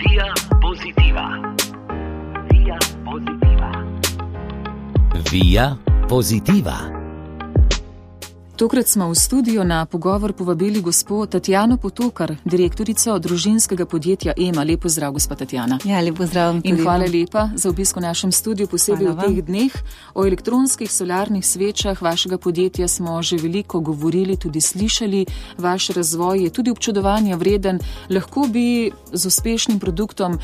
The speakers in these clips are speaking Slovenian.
Via Positiva. Via Positiva. Via Positiva. Tokrat smo v studio na pogovor povabili gospo Tatjano Potokar, direktorico družinskega podjetja EMA. Lep pozdrav, gospa Tatjana. Ja, lep pozdrav. In hvala lepa za obisk v našem studiu, posebej v teh dneh. O elektronskih solarnih svečah vašega podjetja smo že veliko govorili, tudi slišali. Vaš razvoj je tudi občudovanja vreden. Lahko bi z uspešnim produktom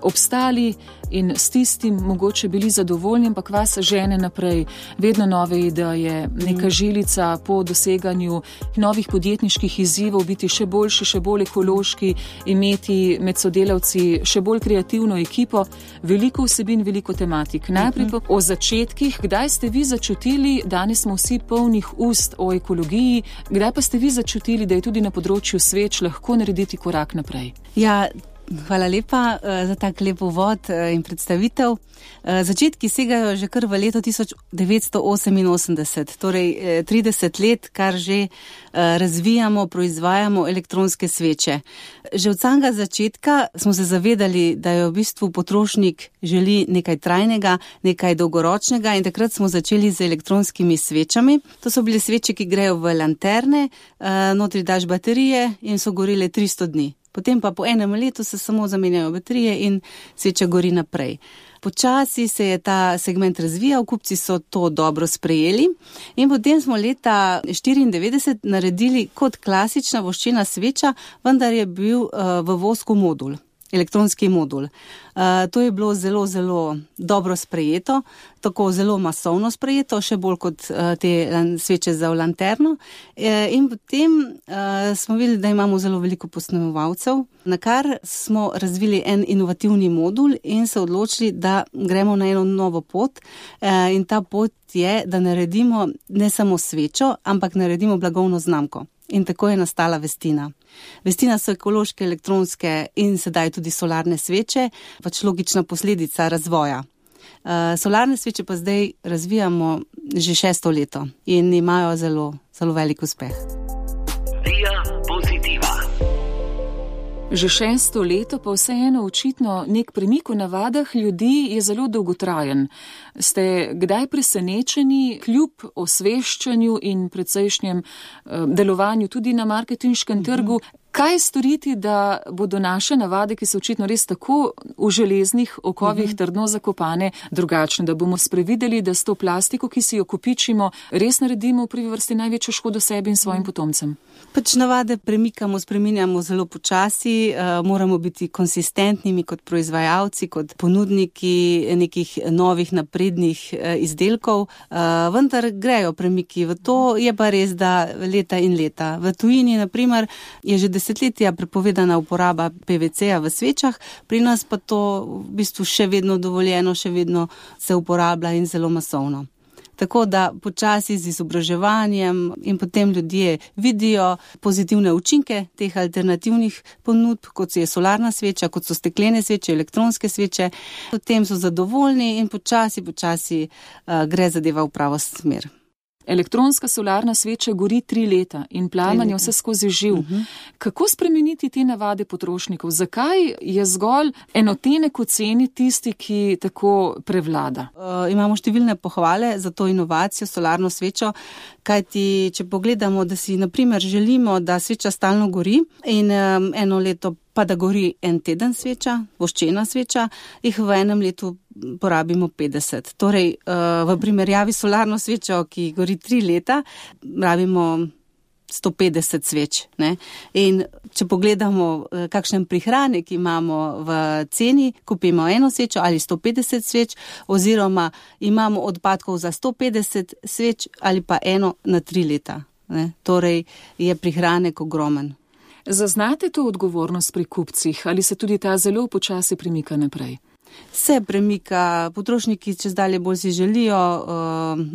obstali in s tistim mogoče bili zadovoljni, ampak vas žene naprej. Vedno nove ideje, neka žilica po doseganju novih podjetniških izzivov, biti še boljši, še bolj ekološki, imeti med sodelavci še bolj kreativno ekipo, veliko vsebin, veliko tematik. Najprej pa o začetkih, kdaj ste vi začutili, danes smo vsi polnih ust o ekologiji, kdaj pa ste vi začutili, da je tudi na področju sveč lahko narediti korak naprej? Ja, hvala lepa za tak lep uvod in predstavitev. Začetki segajo že kar v leto 1988, torej 30 let, kar že razvijamo, proizvajamo elektronske sveče. Že od samega začetka smo se zavedali, da je v bistvu potrošnik želi nekaj trajnega, nekaj dolgoročnega in takrat smo začeli z elektronskimi svečami. To so bile sveče, ki grejo v lanterne, notri daš baterije in so gorile 300 dni. Potem pa po enem letu se samo zamenjajo baterije in sveča gori naprej. Počasi se je ta segment razvijal, kupci so to dobro sprejeli in potem smo leta 1994 naredili kot klasična voščena sveča, vendar je bil v vosku modul, elektronski modul. To je bilo zelo, zelo dobro sprejeto, tako zelo masovno sprejeto, še bolj kot te sveče za v lanterno. In potem smo videli, da imamo zelo veliko posnemovalcev, na kar smo razvili en inovativni modul in se odločili, da gremo na eno novo pot. In ta pot je, da naredimo ne samo svečo, ampak naredimo blagovno znamko. In tako je nastala Vestina. Vestina so ekološke, elektronske in sedaj tudi solarne sveče, pač logična posledica razvoja. Solarne sveče pa zdaj razvijamo že 6. leto in imajo zelo, zelo velik uspeh. Via Positiva. Že 6. leto pa vseeno očitno nek premik v navadah ljudi je zelo dolgotrajen. Ste kdaj presenečeni kljub osveščanju in precejšnjem delovanju tudi na marketinškem trgu? Kaj storiti, da bodo naše navade, ki so očitno res tako v železnih okovih trdno zakopane, drugačne, da bomo sprevideli, da s to plastiko, ki si jo kopičimo, res naredimo v prvi vrsti največjo škodo sebi in svojim potomcem? Pač navade premikamo, spreminjamo zelo počasi, moramo biti konsistentnimi kot proizvajalci, kot ponudniki nekih novih naprednih izdelkov, vendar grejo premiki v to, je pa res, da leta in leta. V tujini, na primer, je že desetletja prepovedana uporaba PVC-ja v svečah, pri nas pa to v bistvu še vedno dovoljeno, še vedno se uporablja in zelo masovno. Tako da počasi z izobraževanjem in potem ljudje vidijo pozitivne učinke teh alternativnih ponudb, kot je solarna sveča, kot so steklene sveče, elektronske sveče, potem so zadovoljni in počasi gre zadeva v pravo smer. Elektronska solarna sveča gori 3 leta in plamen je vse skozi živ. Kako spremeniti te navade potrošnikov? Zakaj je zgolj enotenek v ceni tisti, ki tako prevlada? Imamo številne pohvale za to inovacijo, solarno svečo, kajti če pogledamo, da si na primer želimo, da sveča stalno gori in eno leto pa da gori en teden sveča, voščena sveča, jih v enem letu porabimo 50. Torej, v primerjavi solarno svečo, ki gori 3 leta, rabimo 150 sveč. Ne? In če pogledamo, kakšen prihranek imamo v ceni, kupimo eno svečo ali 150 sveč, oziroma imamo odpadkov za 150 sveč ali pa eno na 3 leta. Ne? Torej, je prihranek ogromen. Zaznate to odgovornost pri kupcih ali se tudi ta zelo počasi premika naprej? Se premika, potrošniki čez dalje bolj si želijo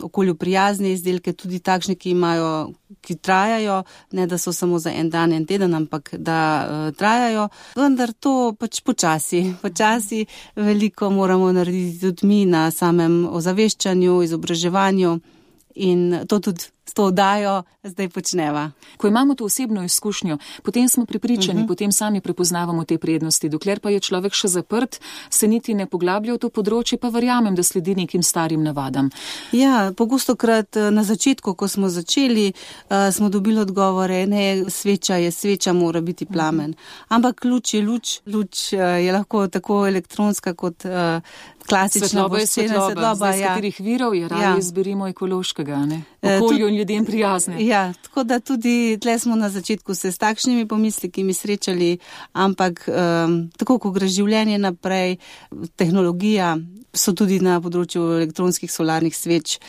okolju prijazne izdelke, tudi takšne, ki trajajo, ne da so samo za en dan, en teden, ampak da trajajo. Vendar to pač počasi veliko moramo narediti tudi mi na samem ozaveščanju, izobraževanju in to tudi s to oddajo zdaj počneva. Ko imamo to osebno izkušnjo, potem smo prepričani, potem sami prepoznavamo te prednosti. Dokler pa je človek še zaprt, se niti ne poglablja v to področje, pa verjamem, da sledi nekim starim navadam. Ja, pogostokrat na začetku, ko smo začeli, smo dobili odgovore, ne, sveča je sveča, mora biti plamen. Ampak luč je luč. Luč je lahko tako elektronska kot klasična. Svetloba, iz katerih virov je raje izberimo ekološkega, ne? Okolju in ljudem prijazne. Ja, tako da tudi tle smo na začetku se s takšnimi pomisleki srečali, ampak tako, ko gre življenje naprej, tehnologija, so tudi na področju elektronskih solarnih sveč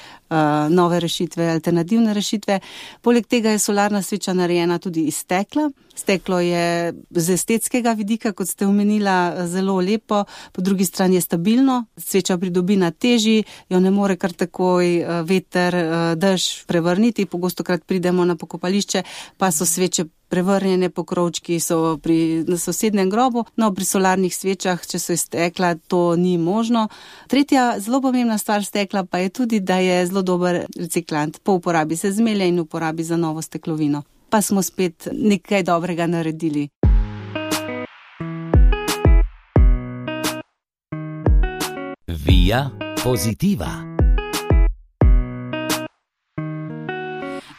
nove rešitve, alternativne rešitve. Poleg tega je solarna sveča narejena tudi iz stekla. Steklo je z estetskega vidika, kot ste omenila, zelo lepo, po drugi strani je stabilno, sveča pridobi na teži, jo ne more kar takoj veter, dež prevrniti. Pogostokrat pridemo na pokopališče, pa so sveče prevrnjene, pokrovčki so na sosednjem grobu, no pri solarnih svečah, če so iz stekla, to ni možno. Tretja zelo pomembna stvar stekla pa je tudi, da je zelo dober reciklant. Po uporabi se zmelje in uporabi za novo steklovino. Pa smo spet nekaj dobrega naredili. Via Positiva.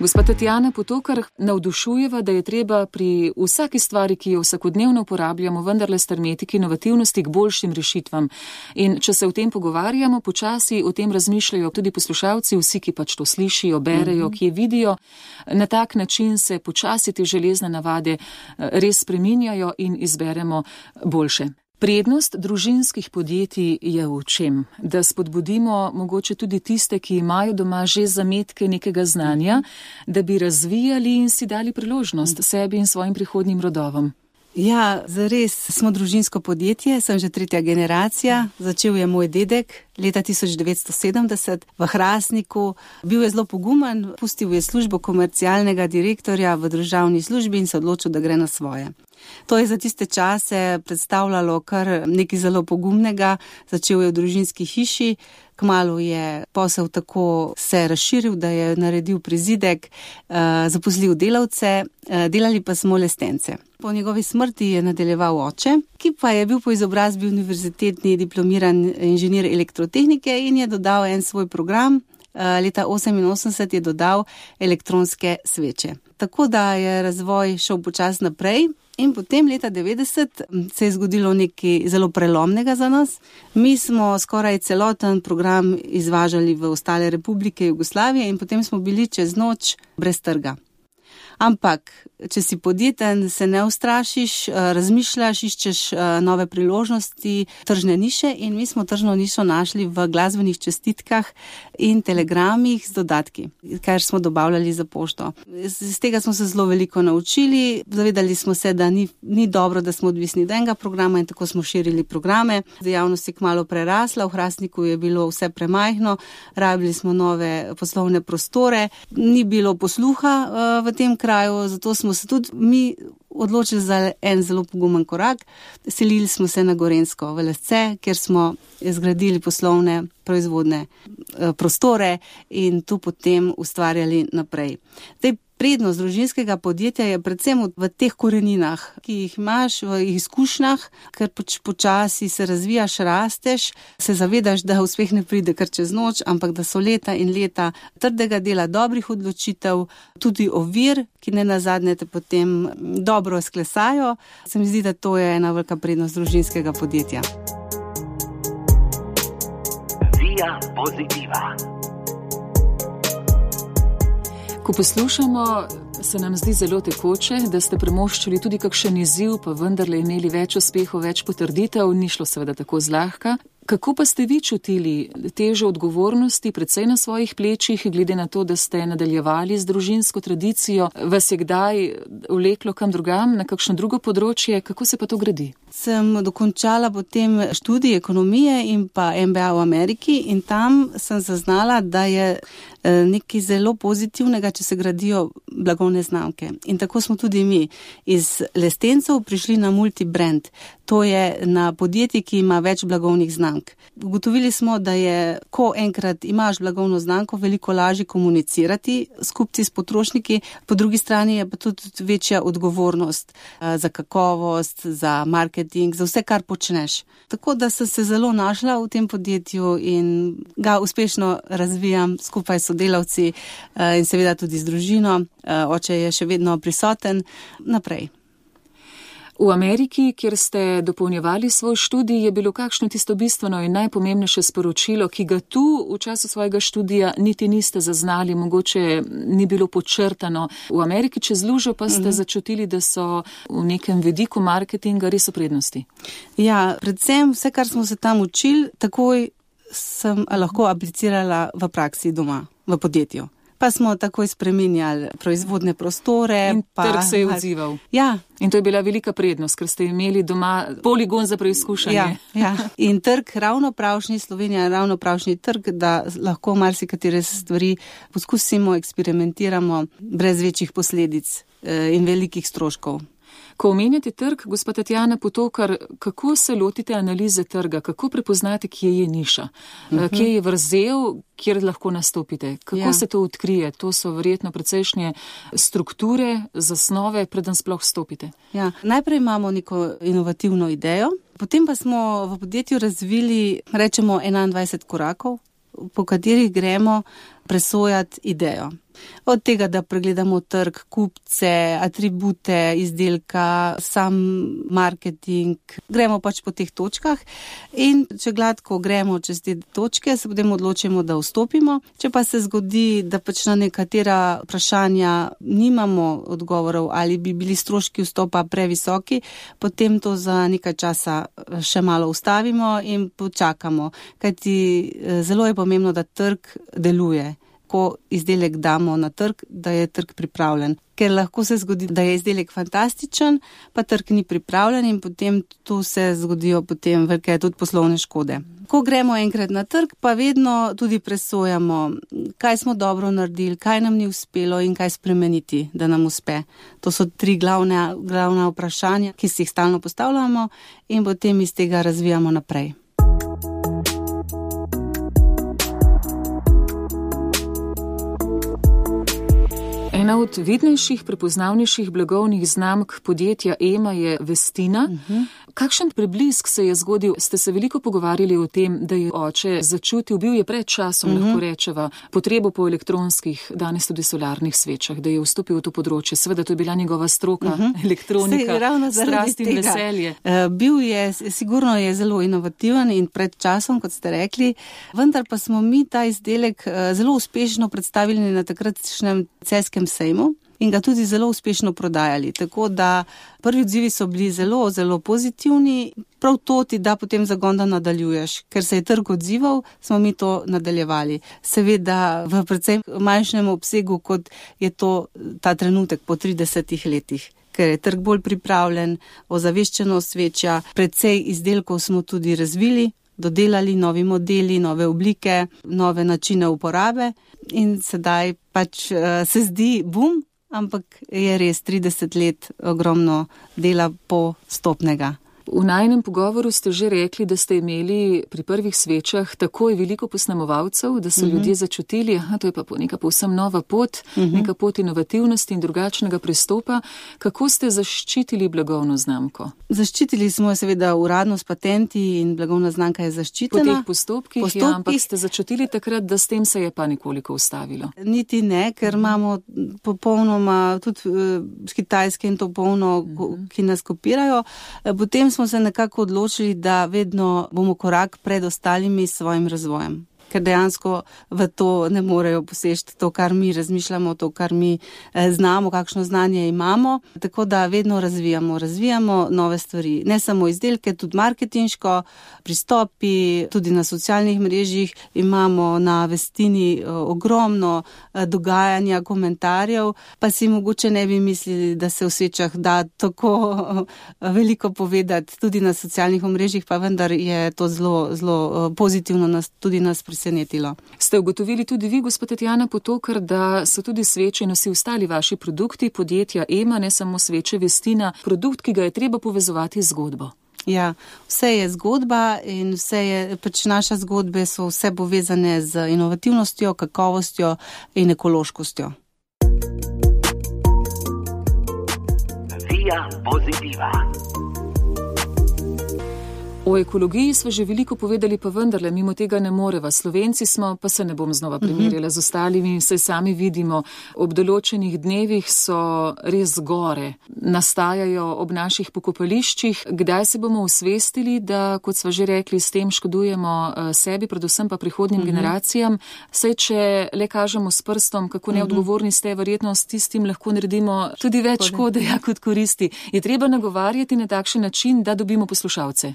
Gospa Tatjana Potokar, navdušujeva, da je treba pri vsaki stvari, ki jo vsakodnevno uporabljamo, vendarle strmeti k inovativnosti, k boljšim rešitvam. In če se o tem pogovarjamo, počasi o tem razmišljajo tudi poslušalci, vsi, ki pač to slišijo, berejo, ki je vidijo. Na tak način se počasi te železne navade res spreminjajo in izberemo boljše. Prednost družinskih podjetij je v čem? Da spodbudimo mogoče tudi tiste, ki imajo doma že zametke nekega znanja, da bi razvijali in si dali priložnost sebi in svojim prihodnjim rodovom. Ja, zares smo družinsko podjetje, sem že 3. generacija. Začel je moj dedek leta 1970 v Hrastniku. Bil je zelo pogumen, pustil je službo komercialnega direktorja v državni službi in se odločil, da gre na svoje. To je za tiste čase predstavljalo kar nekaj zelo pogumnega. Začel je v družinski hiši, kmalu je posel tako se razširil, da je naredil prizidek, zaposlil delavce, delali pa smo lestence. Po njegovi smrti je nadaljeval oče, ki pa je bil po izobrazbi univerzitetni diplomiran inženir elektrotehnike in je dodal en svoj program. Leta 1988 je dodal elektronske sveče. Tako da je razvoj šel počasi naprej. In potem leta 1990 se je zgodilo nekaj zelo prelomnega za nas. Mi smo skoraj celoten program izvažali v ostale republike Jugoslavije in potem smo bili čez noč brez trga. Ampak, če si podjeten, se ne ustrašiš, razmišljaš, iščeš nove priložnosti, tržne niše in mi smo tržno nišo našli v glasbenih čestitkah in telegramih z dodatki, kar smo dobavljali za pošto. Z tega smo se zelo veliko naučili, zavedali smo se, da ni dobro, da smo odvisni od enega programa in tako smo širili programe. Dejavnost je kmalu prerasla, v Hrastniku je bilo vse premajhno, rabili smo nove poslovne prostore, ni bilo posluha v tem kraju, zato smo se tudi mi odločili za en zelo pogumen korak. Selili smo se na Gorenjsko v Lesce, kjer smo zgradili poslovne proizvodne prostore in tu potem ustvarjali naprej. Prednost družinskega podjetja je predvsem v teh koreninah, ki jih imaš, v izkušnjah, ker počasi se razvijaš, rasteš, se zavedaš, da uspeh ne pride kar čez noč, ampak da so leta in leta trdega dela, dobrih odločitev, tudi ovir, ki ne nazadnje te potem dobro sklesajo. Se mi zdi, da to je ena velika prednost družinskega podjetja. Via Positiva. Ko poslušamo, se nam zdi zelo tekoče, da ste premoščili tudi kakšen izziv, pa vendarle imeli več uspehov, več potrditev, ni šlo seveda tako zlahka. Kako pa ste vi čutili težo odgovornosti, predvsej na svojih plečih, glede na to, da ste nadaljevali z družinsko tradicijo? Vas je kdaj vleklo kam drugam, na kakšno drugo področje? Kako se pa to gradi? Sem dokončala potem študij ekonomije in pa MBA v Ameriki in tam sem zaznala, da je nekaj zelo pozitivnega, če se gradijo blagovne znamke. In tako smo tudi mi iz lestencev prišli na multibrand. To je na podjetje, ki ima več blagovnih znamk. znamk. Ugotovili smo, da je, ko enkrat imaš blagovno znamko, veliko lažje komunicirati s kupci, s potrošniki, po drugi strani je pa tudi večja odgovornost za kakovost, za marketing, za vse, kar počneš. Tako da sem se zelo našla v tem podjetju in ga uspešno razvijam skupaj s sodelavci in seveda tudi z družino. Oče je še vedno prisoten naprej. V Ameriki, kjer ste dopolnjevali svoj študij, je bilo kakšno tisto bistveno in najpomembnejše sporočilo, ki ga tu v času svojega študija niti niste zaznali, mogoče ni bilo podčrtano. V Ameriki čez lužo pa ste začutili, da so v nekem vidiku marketinga res v prednosti. Ja, predvsem vse, kar smo se tam učili, takoj sem lahko aplicirala v praksi doma, v podjetju. Pa smo takoj spreminjali proizvodne prostore. In trg se je odzival. Ja. In to je bila velika prednost, ker ste imeli doma poligon za preizkušanje. Ja. In trg ravno pravšnji, Slovenija je ravno pravšnji trg, da lahko marsikatere stvari poskusimo, eksperimentiramo brez večjih posledic in velikih stroškov. Ko omenjate trg, gospa Tatjana Potokar, kako se lotite analize trga, kako prepoznate, kje je niša, kje je vrzel, kjer lahko nastopite, kako se to odkrije? To so verjetno precejšnje strukture, zasnove, preden sploh stopite. Ja, najprej imamo neko inovativno idejo, potem pa smo v podjetju razvili, rečemo, 21 korakov, po katerih gremo presojati idejo. Od tega, da pregledamo trg, kupce, atribute izdelka, sam marketing, gremo pač po teh točkah in če gladko gremo čez te točke, se potem odločimo, da vstopimo. Če pa se zgodi, da pač na nekatera vprašanja nimamo odgovorov ali bi bili stroški vstopa previsoki, potem to za nekaj časa še malo ustavimo in počakamo, kajti zelo je pomembno, da trg deluje. Ko izdelek damo na trg, da je trg pripravljen. Ker lahko se zgodi, da je izdelek fantastičen, pa trg ni pripravljen in potem tu se zgodijo potem velike tudi poslovne škode. Ko gremo enkrat na trg, pa vedno tudi presojamo, kaj smo dobro naredili, kaj nam ni uspelo in kaj spremeniti, da nam uspe. To so 3 glavna vprašanja, ki si jih stalno postavljamo in potem iz tega razvijamo naprej. Ena od vidnejših, prepoznavnejših blagovnih znamk podjetja Ema je Vestina. Kakšen preblisk se je zgodil? Ste se veliko pogovarjali o tem, da je oče začutil, bil je pred časom, lahko rečeva, potrebo po elektronskih, danes tudi solarnih svečah, da je vstopil v to področje. Seveda, to je bila njegova stroka, elektronika, strast in veselje. Bil je, sigurno je zelo inovativen in pred časom, kot ste rekli, vendar pa smo mi ta izdelek zelo uspešno predstavili na takratšnjem celjskem sejmu in ga tudi zelo uspešno prodajali. Tako da prvi odzivi so bili zelo, zelo pozitivni. Prav to ti da potem zagon, da nadaljuješ. Ker se je trg odzival, smo mi to nadaljevali. Seveda v predvsem manjšem obsegu, kot je to ta trenutek po 30 letih. Ker je trg bolj pripravljen, ozaveščenost večja, precej izdelkov smo tudi razvili, dodelali novi modeli, nove oblike, nove načine uporabe in sedaj pač se zdi bum, ampak je res 30 let ogromno dela postopnega. V najinem pogovoru ste že rekli, da ste imeli pri prvih svečah takoj veliko posnemovalcev, da so ljudje začutili, to je pa neka povsem nova pot, neka pot inovativnosti in drugačnega pristopa. Kako ste zaščitili blagovno znamko? Zaščitili smo jo seveda uradno s patenti in blagovna znamka je zaščitena. Po teh postopkih. Ja, ampak ste začutili takrat, da s tem se je pa nekoliko ustavilo? Niti ne, ker imamo popolnoma tudi z Kitajske in to polno, ki nas kopirajo. Potem smo se nekako odločili, da vedno bomo korak pred ostalimi svojim razvojem. Ker dejansko v to ne morejo posežiti to, kar mi razmišljamo, to, kar mi znamo, kakšno znanje imamo. Tako da vedno razvijamo nove stvari. Ne samo izdelke, tudi marketinško, pristopi, tudi na socialnih mrežjih imamo na Vestini ogromno dogajanja, komentarjev, pa si mogoče ne bi mislili, da se v svečah da tako veliko povedati tudi na socialnih mrežjih, pa vendar je to zelo pozitivno tudi nas presenetilo. Ste ugotovili tudi vi, gospod Tatjana Potokar, da so tudi sveče in vsi ostali vaši produkti podjetja Ema, ne samo sveče Vestina, produkt, ki ga je treba povezovati z zgodbo? Ja, vse je zgodba in naše zgodbe so vse povezane z inovativnostjo, kakovostjo in ekološkostjo. Via Positiva. O ekologiji smo že veliko povedali, pa vendarle mimo tega ne moreva. Slovenci smo, pa se ne bom znova primerjala z ostalimi, saj sami vidimo, ob določenih dnevih so res gore, nastajajo ob naših pokopališčih. Kdaj se bomo osvestili, da, kot sva že rekli, s tem škodujemo sebi, predvsem pa prihodnjim generacijam, saj če le kažemo s prstom, kako neodgovorni ste, verjetno s tistim lahko naredimo tudi več škode, kot koristi. Je treba nagovarjati na takšen način, da dobimo poslušalce?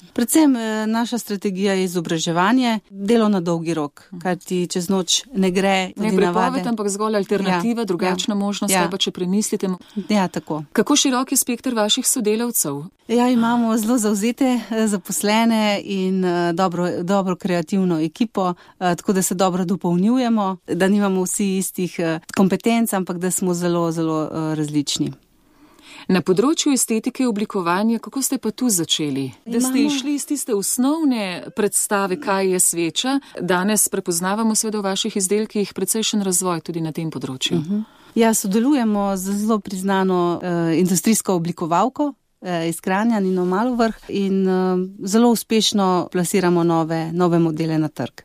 Naša strategija je izobraževanje, delo na dolgi rok, kajti čez noč ne gre. Ne prepoved, ampak zgolj alternativa, drugačna možnost, pa če premislite. Ja, tako. Kako širok je spekter vaših sodelavcev? Ja, imamo zelo zavzete zaposlene in dobro kreativno ekipo, tako da se dobro dopolnjujemo, da nimamo vsi istih kompetenc, ampak da smo zelo, zelo različni. Na področju estetike oblikovanja, kako ste pa tu začeli? Da ste išli iz tiste osnovne predstave, kaj je sveča. Danes prepoznavamo seveda v vaših izdelkih precejšen razvoj tudi na tem področju. Ja, sodelujemo z zelo priznano industrijsko oblikovalko iz Kranja, Nino Malovrh, in zelo uspešno plasiramo nove modele na trg.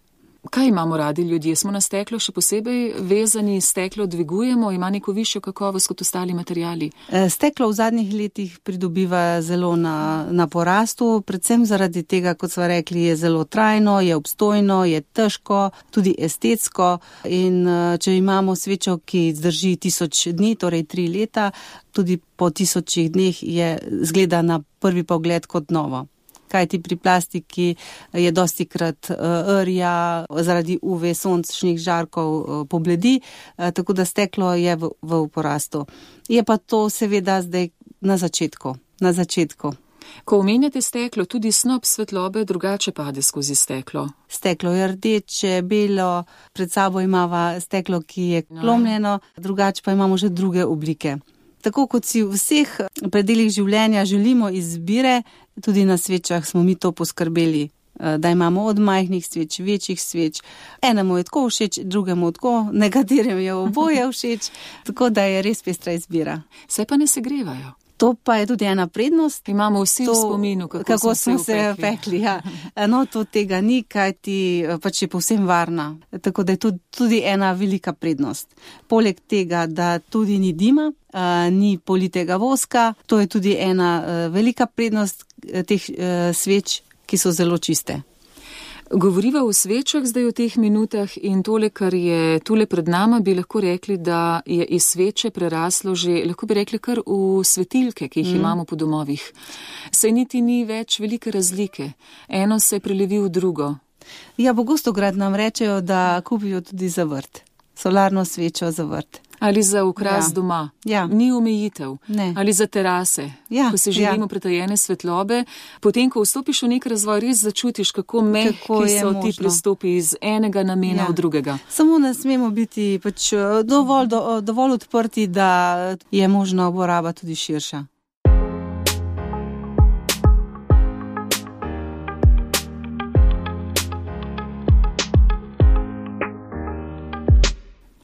Kaj imamo radi ljudje? Smo na steklo še posebej vezani, steklo dvigujemo, ima neko višjo kakovost kot ostali materiali? Steklo v zadnjih letih pridobiva zelo na porastu, predvsem zaradi tega, kot smo rekli, je zelo trajno, je obstojno, je težko, tudi estetsko, in če imamo svečo, ki zdrži 1000 dni, torej 3 leta, tudi po 1000 dneh zgleda na prvi pogled kot novo. Kajti pri plastiki je dostikrat rja, zaradi UV sončnih žarkov pobledi, tako da steklo je v porastu. Je pa to seveda zdaj na začetku. Ko omenjate steklo, tudi snop svetlobe drugače pade skozi steklo. Steklo je rdeče, belo, pred sabo imava steklo, ki je klomljeno, drugače pa imamo že druge oblike. Tako kot si v vseh predelih življenja želimo izbire, tudi na svečah smo mi to poskrbeli, da imamo od majhnih sveč, večjih sveč. Enemu je tako všeč, drugemu tako, nekaterim je oboje všeč, tako da je res pestra izbira. Se pa ne segrevajo. To pa je tudi ena prednost. Imamo vsi v spominu, kako smo se pekli. Ja. No, to tega ni, kajti pač je povsem varna. Tako da je tudi ena velika prednost. Poleg tega, da tudi ni dima, ni politega voska, to je tudi ena velika prednost teh sveč, ki so zelo čiste. Govoriva o svečah zdaj v teh minutah in tole, kar je tule pred nama, bi lahko rekli, da je iz sveče preraslo že, lahko bi rekli, kar v svetilke, ki jih imamo po domovih. Saj niti ni več velike razlike. Eno se prelevi v drugo. Ja, Bogostograd nam rečejo, da kupijo tudi za vrt. Solarno svečo za vrt. Ali za ukras doma. Ja. Ni omejitev. Ne. Ali za terase. Ja. Ko se želimo pretajene svetlobe. Potem, ko vstopiš v nek razvoj, res začutiš, kako mehki so ti pristopi iz enega namena v drugega. Samo ne smemo biti pač dovolj odprti, da je možna uporaba tudi širša.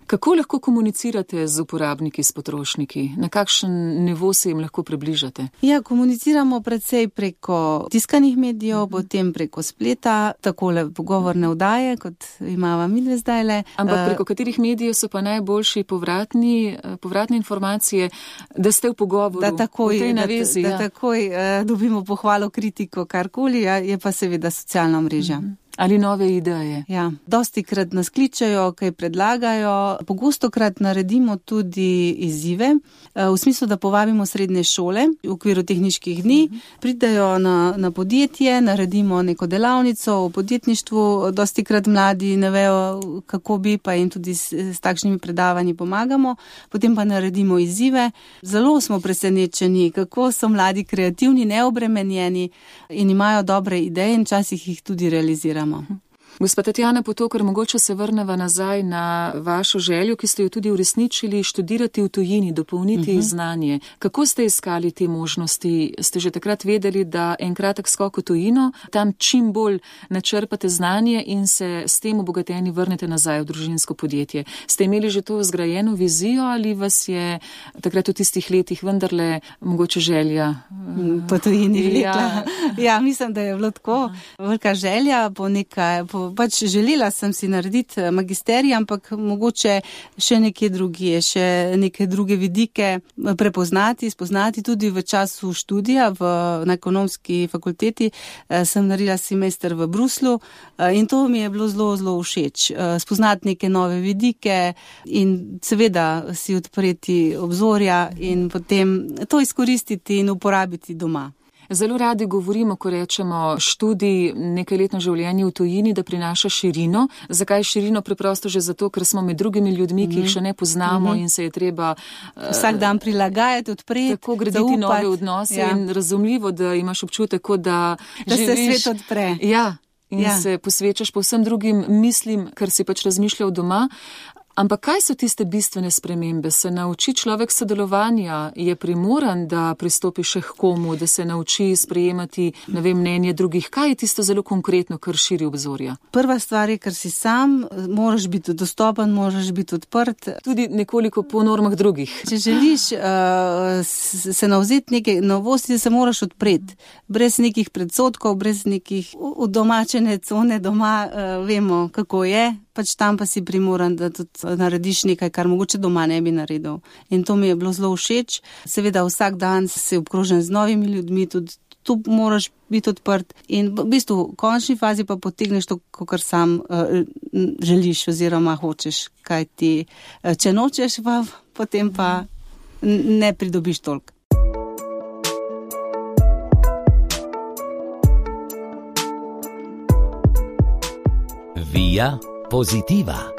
Kako lahko komunicirate z uporabniki, s potrošniki? Na kakšen nivo se jim lahko približate? Ja, komuniciramo predvsej preko tiskanih medijev, potem preko spleta, takole pogovorne vdaje, kot imava midve zdajle. Ampak preko katerih medijev so pa najboljši povratne informacije, da ste v pogovoru, v tej navezi? Da takoj dobimo pohvalo, kritiko, karkoli, je pa seveda socialna mreža. Ali nove ideje. Ja, dostikrat nas kličajo, kaj predlagajo. Pogostokrat naredimo tudi izzive, v smislu, da povabimo srednje šole v okviru tehniških dni, pridajo na podjetje, naredimo neko delavnico o podjetništvu, dostikrat mladi ne vejo, kako bi, pa jim tudi s takšnimi predavanji pomagamo, potem pa naredimo izzive. Zelo smo presenečeni, kako so mladi kreativni, neobremenjeni in imajo dobre ideje in včasih jih tudi realiziramo. Gospa Tatjana Potokar, mogoče se vrneva nazaj na vašo željo, ki ste jo tudi uresničili, študirati v tujini, dopolniti znanje. Kako ste iskali te možnosti? Ste že takrat vedeli, da en kratek skok v tujino, tam čim bolj načrpate znanje in se s tem obogateni vrnete nazaj v družinsko podjetje? Ste imeli že to zgrajeno vizijo ali vas je takrat v tistih letih vendarle mogoče želja? Po tujini vlekla. Ja, mislim, da je bilo tako. Velika želja pač želela sem si narediti magisterij, ampak mogoče še nekje drugje, še neke druge vidike prepoznati, spoznati tudi v času študija na ekonomski fakulteti. Sem naredila semester v Bruslu in to mi je bilo zelo, zelo všeč. Spoznati neke nove vidike in seveda si odpreti obzorja in potem to izkoristiti in uporabiti doma. Zelo radi govorimo, ko rečemo študij, nekajletno življenje v tujini, da prinaša širino. Zakaj širino? Preprosto že zato, ker smo med drugimi ljudmi, ki jih še ne poznamo in se je treba vsak dan prilagajati, odpreti, tako graditi nove odnose in razumljivo, da imaš občutek, da se svet odpre. Ja, in se posvečaš povsem drugim mislim, kar si pač razmišljal doma. Ampak kaj so tiste bistvene spremembe? Se nauči človek sodelovanja? Je primoran, da pristopi še k komu, da se nauči sprejemati, mnenje drugih? Kaj je tisto zelo konkretno, kar širi obzorja? Prva stvar je, ker si sam, moraš biti dostopen, moraš biti odprt. Tudi nekoliko po normah drugih. Če želiš se navzeti neke novosti, se moraš odpreti. Brez nekih predsotkov, brez nekih udomačene cone doma, vemo, kako je. Pač tam pa si primoran, da tudi narediš nekaj, kar mogoče doma ne bi naredil. In to mi je bilo zelo všeč. Seveda vsak dan si obkrožen z novimi ljudmi, tudi tu moraš biti odprt. In v bistvu v končni fazi pa potegneš to, kar sam želiš oziroma hočeš. Kaj ti, če nočeš, pa potem pa ne pridobiš toliko. Via Positiva.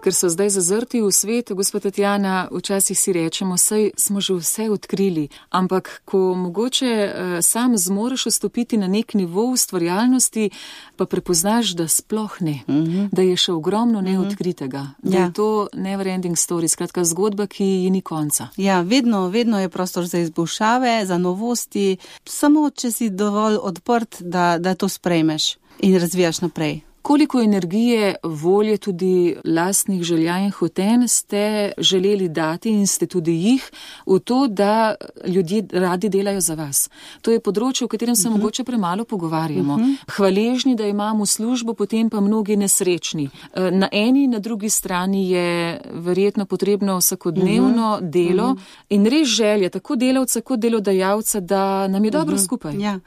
Ker so zdaj zazrti v svet, gospod Tatjana, včasih si rečemo, saj smo že vse odkrili, ampak ko mogoče sam zmoreš vstopiti na nek nivo ustvarjalnosti, pa prepoznaš, da sploh ne, da je še ogromno neodkritega, da je to never ending story, skratka zgodba, ki ji ni konca. Ja, vedno je prostor za izboljšave, za novosti, samo če si dovolj odprt, da to sprejmeš in razvijaš naprej. Koliko energije, volje, tudi lastnih želja in hotenj ste želeli dati in ste tudi jih v to, da ljudje radi delajo za vas? To je področje, o katerem se mogoče premalo pogovarjamo. Hvaležni, da imamo službo, potem pa mnogi nesrečni. Na eni in na drugi strani je verjetno potrebno vsakodnevno delo in res želja tako delavca kot delodajalca, da nam je dobro skupaj. Ja,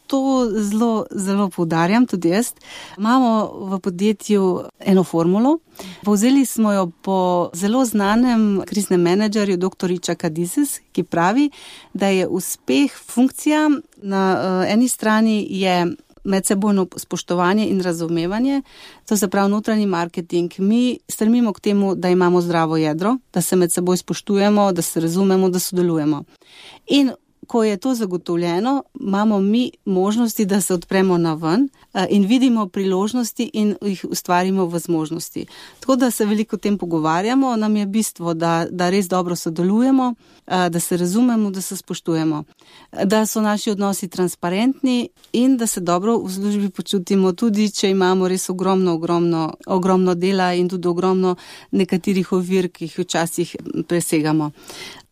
to zelo, zelo poudarjam tudi jaz. Imamo v podjetju eno formulo. Povzeli smo jo po zelo znanem kriznem menedžerju dr. Ičaka Dizes, ki pravi, da je uspeh funkcija na eni strani je medsebojno spoštovanje in razumevanje, to se pravi notranji marketing. Mi stremimo k temu, da imamo zdravo jedro, da se med seboj spoštujemo, da se razumemo, da sodelujemo. In ko je to zagotovljeno, imamo mi možnosti, da se odpremo na ven in vidimo priložnosti in jih ustvarimo v zmožnosti. Tako da se veliko o tem pogovarjamo, nam je bistvo, da res dobro sodelujemo, da se razumemo, da se spoštujemo, da so naši odnosi transparentni in da se dobro v službi počutimo, tudi če imamo res ogromno dela in tudi ogromno nekaterih ovir, ki jih včasih presegamo.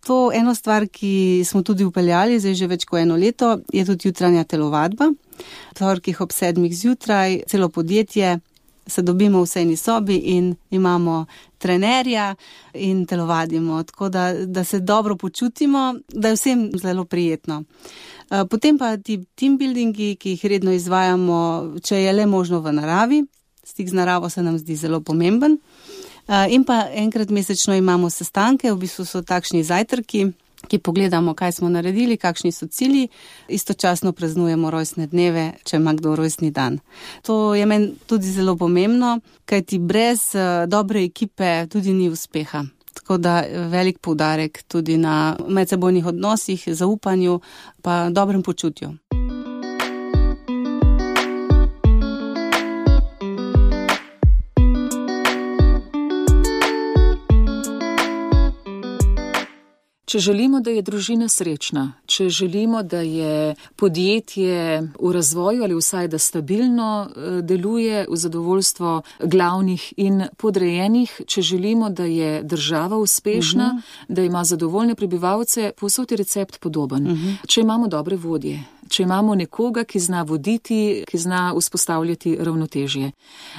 To eno stvar, ki smo tudi upeljali, zdaj že več kot 1 leto, je tudi jutranja telovadba. V torkih ob 7 zjutraj celo podjetje se dobimo v eni sobi in imamo trenerja in telovadimo, tako da se dobro počutimo, da je vsem zelo prijetno. Potem pa ti team buildingi, ki jih redno izvajamo, če je le možno v naravi, stik z naravo se nam zdi zelo pomemben. In pa enkrat mesečno imamo sestanke, v bistvu so takšni zajtrki, ki pogledamo, kaj smo naredili, kakšni so cilji, istočasno praznujemo rojstne dneve, če ima kdo rojstni dan. To je meni tudi zelo pomembno, kajti brez dobre ekipe tudi ni uspeha. Tako da velik poudarek tudi na medsebojnih odnosih, zaupanju pa dobrem počutju. Če želimo, da je družina srečna, če želimo, da je podjetje v razvoju ali vsaj, da stabilno deluje v zadovoljstvo glavnih in podrejenih, če želimo, da je država uspešna, da ima zadovoljne prebivalce, povsod je recept podoben. Če imamo dobre vodje, če imamo nekoga, ki zna voditi, ki zna vzpostavljati ravnotežje.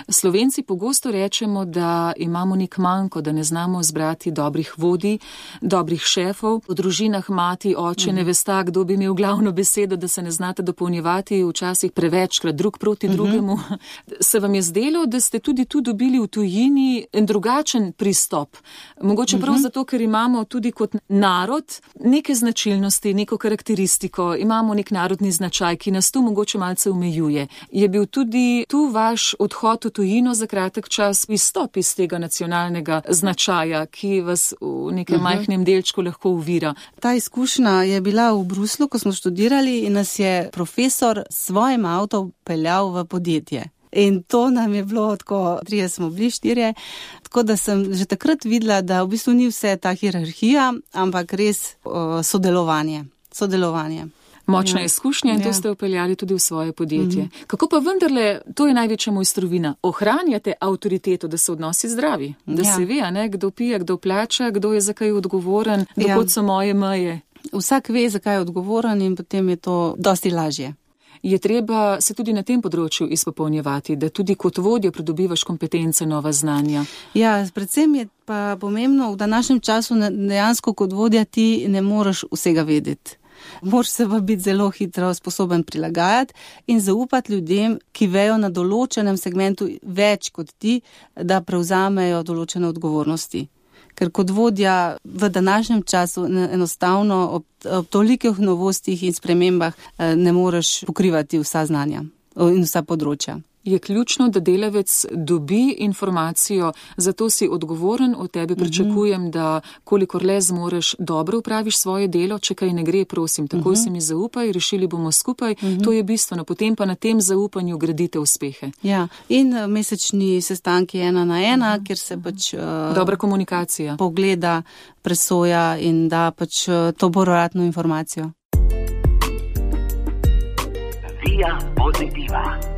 Slovenci pogosto rečemo, da imamo nek manko, da ne znamo zbrati dobrih vodij, dobrih šefov. V družinah mati, oče ne vesta, kdo bi imel glavno besedo, da se ne znate dopolnjevati, včasih prevečkrat drug proti drugemu. Se vam je zdelo, da ste tudi tu dobili v tujini en drugačen pristop? Mogoče prav zato, ker imamo tudi kot narod neke značilnosti, neko karakteristiko, imamo nek narodni značaj, ki nas tu mogoče malce omejuje. Je bil tudi tu vaš odhod v tujino za kratek čas izstop iz tega nacionalnega značaja, ki vas v nekem majhnem delčku lahko uvira? Ta izkušnja je bila v Bruslu, ko smo študirali in nas je profesor s svojim avtom peljal v podjetje. In to nam je bilo tako, 3 smo bili, 4, tako da sem že takrat videla, da v bistvu ni vse ta hierarhija, ampak res sodelovanje. Močna izkušnja in to ste upeljali tudi v svoje podjetje. Kako pa vendarle, to je največja mojstrovina, ohranjate avtoriteto, da so odnosi zdravi, da se ve, kdo pije, kdo plača, kdo je za kaj odgovoren, dokot so moje meje. Vsak ve, za kaj je odgovoren in potem je to dosti lažje. Je treba se tudi na tem področju izpopolnjevati, da tudi kot vodja pridobivaš kompetence, nova znanja? Ja, predvsem je pa pomembno, v današnjem času dejansko kot vodja ti ne moreš vsega vedeti. Moraš se pa biti zelo hitro sposoben prilagajati in zaupati ljudem, ki vejo na določenem segmentu več kot ti, da prevzamejo določene odgovornosti. Ker kot vodja v današnjem času enostavno ob tolikih novostih in spremembah ne moreš pokrivati vsa znanja in vsa področja. Je ključno, da delavec dobi informacijo, zato si odgovoren, od tebe pričakujem, da kolikor le zmoreš, dobro upraviš svoje delo, če kaj ne gre, prosim, takoj si mi zaupaj, rešili bomo skupaj, to je bistveno, potem pa na tem zaupanju gradite uspehe. Ja, in mesečni sestanki 1 na 1, kjer se pač dobra komunikacija pogleda, presoja in da pač to povratno informacijo. Via Positiva.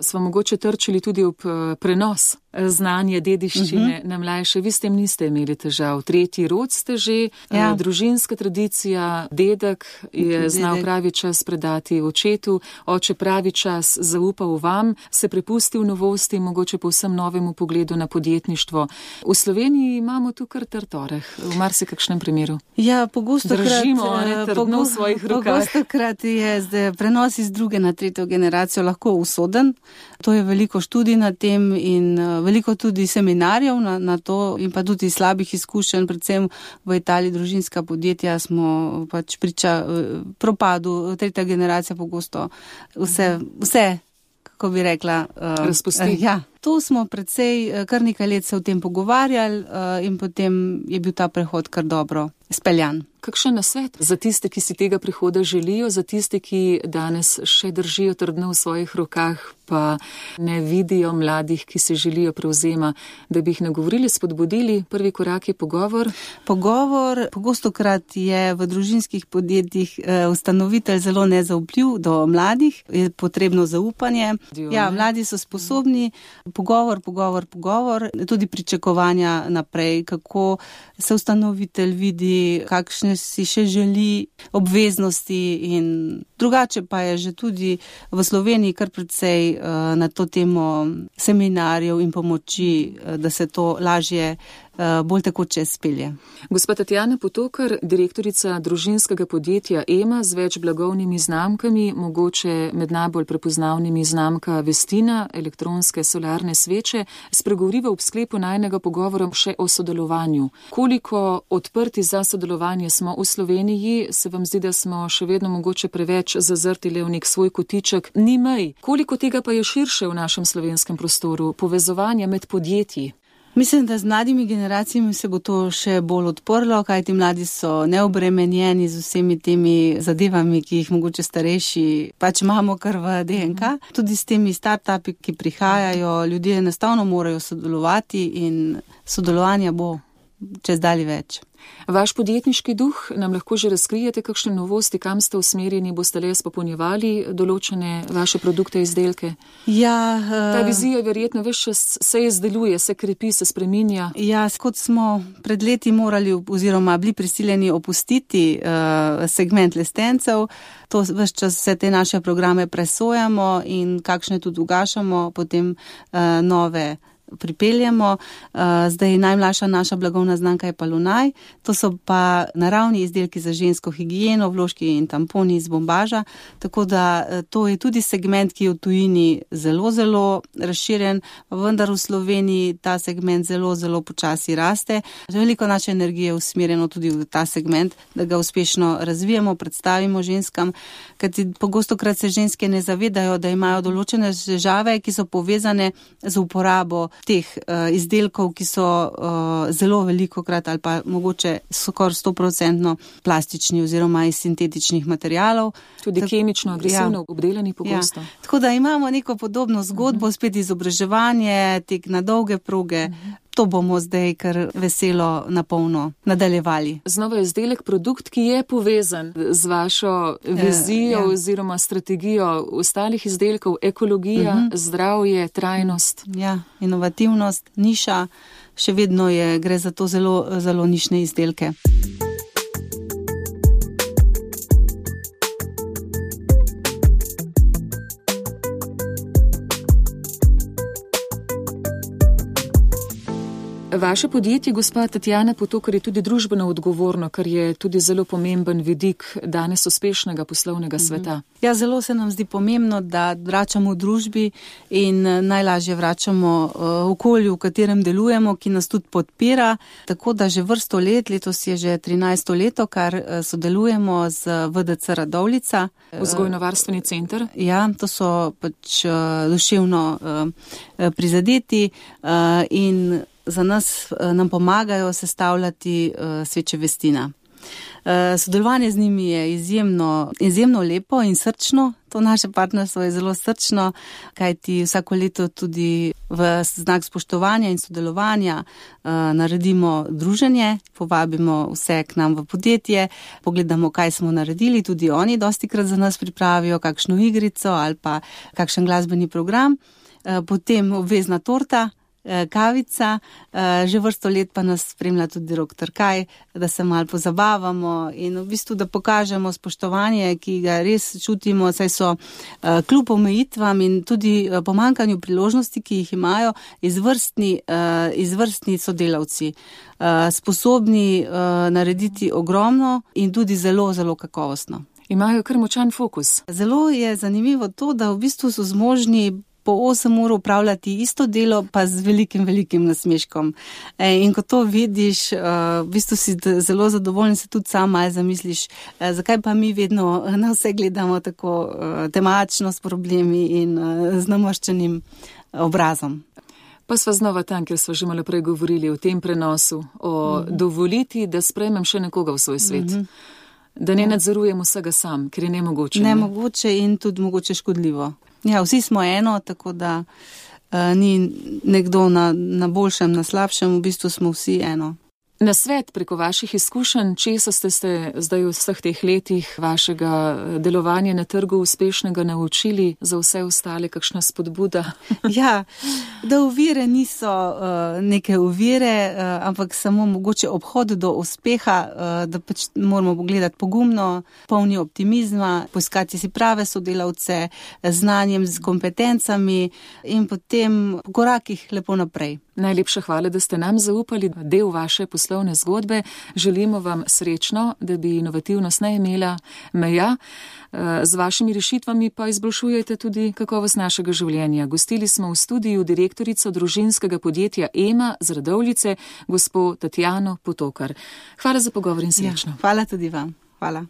Smo mogoče trčili tudi ob prenos znanja, dediščine na mlajše. Vi s tem niste imeli težav. 3. rod ste že, družinska tradicija, dedek je znal pravi čas predati očetu, oče pravi čas zaupal vam, se prepustil novosti, mogoče povsem novemu pogledu na podjetništvo. V Sloveniji imamo tu kar trtoreh, v marsikakšnem primeru. Ja, držimo trdno v svojih rokah. Pogostokrat je prenos iz 2. na 3. generacijo lahko usoden. To je veliko študij na tem in veliko tudi seminarjev na to in pa tudi slabih izkušenj, predvsem v Italiji družinska podjetja smo pač priča propadu, 3. generacija pogosto vse, kako bi rekla, razpusti. Ja. Tu smo predvsej kar nekaj let se o tem pogovarjali in potem je bil ta prehod kar dobro speljan. Kakšen nasvet za tiste, ki si tega prihoda želijo, za tiste, ki danes še držijo trdno v svojih rokah, pa ne vidijo mladih, ki se želijo prevzema, da bi jih nagovorili, spodbudili? Prvi korak je pogovor. Pogovor, pogostokrat je v družinskih podjetjih ustanovitelj zelo nezaupljiv do mladih, je potrebno zaupanje. Ja, mladi so sposobni. Pogovor, tudi pričakovanja naprej, kako se ustanovitelj vidi, kakšne si še želi obveznosti in drugače pa je že tudi v Sloveniji kar precej na to temo seminarjev in pomoči, da se to lažje bolj tekoče spelje. Gospa Tatjana Potokar, direktorica družinskega podjetja EMA z več blagovnimi znamkami, mogoče med najbolj prepoznavnimi znamka Vestina, elektronske solarne sveče, spregovoriva ob sklepu najnega pogovora še o sodelovanju. Koliko odprti za sodelovanje smo v Sloveniji, se vam zdi, da smo še vedno mogoče preveč zazrti le v nek svoj kotiček, ni mej. Koliko tega pa je širše v našem slovenskem prostoru, povezovanja med podjetji? Mislim, da z mladimi generacijami se bo to še bolj odprlo, kajti mladi so neobremenjeni z vsemi temi zadevami, ki jih mogoče starejši pač imamo kar v DNK. Tudi s temi startupi, ki prihajajo, ljudje enostavno morajo sodelovati in sodelovanja bo čez dalje več. Vaš podjetniški duh, nam lahko že razkrijete kakšne novosti, kam ste usmerjeni, boste le spopolnjevali določene vaše produkte, izdelke? Ja, ta vizija verjetno več se izdeluje, se krepi, se spreminja. Ja, kot smo pred leti morali oziroma bili prisiljeni opustiti segment lestencev, to ves čas vse te naše programe presojamo in kakšne tudi ugašamo, potem nove pripeljamo. Zdaj najmlajša naša blagovna znamka je pa Lunaj. To so pa naravni izdelki za žensko higieno, vložki in tamponi iz bombaža. Tako da to je tudi segment, ki je v tujini zelo, zelo razširjen, vendar v Sloveniji ta segment zelo, zelo počasi raste. Veliko naše energije je usmerjeno tudi v ta segment, da ga uspešno razvijamo, predstavimo ženskam, kajti pogostokrat se ženske ne zavedajo, da imajo določene težave, ki so povezane z uporabo teh izdelkov, ki so zelo velikokrat ali pa mogoče skoraj 100% plastični oziroma iz sintetičnih materialov. Tudi kemično, agresivno obdelani pogosto. Ja. Tako da imamo neko podobno zgodbo, spet izobraževanje, tek na dolge proge. To bomo zdaj kar veselo napolno nadaljevali. Znova izdelek, produkt, ki je povezan z vašo vizijo oziroma strategijo ostalih izdelkov, ekologija, zdravje, trajnost. Ja, inovativnost, niša, še vedno gre za to zelo, zelo nišne izdelke. Vaše podjetje, gospa Tatjana Potokar, je tudi družbeno odgovorno, kar je tudi zelo pomemben vidik danes uspešnega poslovnega sveta. Ja, zelo se nam zdi pomembno, da vračamo v družbi in najlažje vračamo okolju, v katerem delujemo, ki nas tudi podpira. Tako da že vrsto let, letos je že 13. leto, kar sodelujemo z VDC Radovljica. Vzgojno-varstveni center? Ja, to so pač duševno prizadeti in za nas nam pomagajo sestavljati sveče Vestina. Sodelovanje z njimi je izjemno lepo in srčno. To naše partnerstvo je zelo srčno, kajti vsako leto tudi v znak spoštovanja in sodelovanja naredimo druženje, povabimo vse k nam v podjetje, pogledamo, kaj smo naredili, tudi oni dostikrat za nas pripravijo kakšno igrico ali pa kakšen glasbeni program, potem obvezna torta, kavica, že vrsto let pa nas spremlja tudi rok Trkaj, da se malo pozabavamo in v bistvu, da pokažemo spoštovanje, ki ga res čutimo, saj so kljub omejitvam in tudi pomanjkanju priložnosti, ki jih imajo, izvrstni sodelavci, sposobni narediti ogromno in tudi zelo, zelo kakovostno. Imajo kar močan fokus. Zelo je zanimivo to, da v bistvu so zmožni po 8 ur upravljati isto delo, pa z velikim nasmeškom. In ko to vidiš, v bistvu si zelo zadovoljen, se tudi sam malo zamisliš, zakaj pa mi vedno na vse gledamo tako temačno s problemi in z namaščenim obrazom. Pa sva znova tam, ker sva že malo prej govorili o tem prenosu, o dovoliti, da sprejmem še nekoga v svoj svet. Da ne nadzorujem vsega sam, ker je nemogoče. Nemogoče in tudi mogoče škodljivo. Ja, vsi smo eno, tako da ni nekdo na boljšem, na slabšem, v bistvu smo vsi eno. Na svet preko vaših izkušenj, česa ste se zdaj v vseh teh letih vašega delovanja na trgu uspešnega naučili, za vse ostale kakšna spodbuda? Ja, da ovire niso neke ovire, ampak samo mogoče obhod do uspeha, da pač moramo pogledati pogumno, polni optimizma, poiskati si prave sodelavce, znanjem, z kompetencami in potem po korakih lepo naprej. Najlepša hvala, da ste nam zaupali del vaše poslovne zgodbe. Želimo vam srečno, da bi inovativnost ne imela meja. Z vašimi rešitvami pa izboljšujete tudi kakovost našega življenja. Gostili smo v studiu direktorico družinskega podjetja EMA z Radovljice, gospo Tatjano Potokar. Hvala za pogovor in srečno. Ja, hvala tudi vam. Hvala.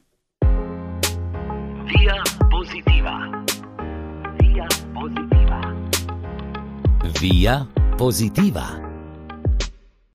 Via Positiva. Via Positiva. Via Positiva.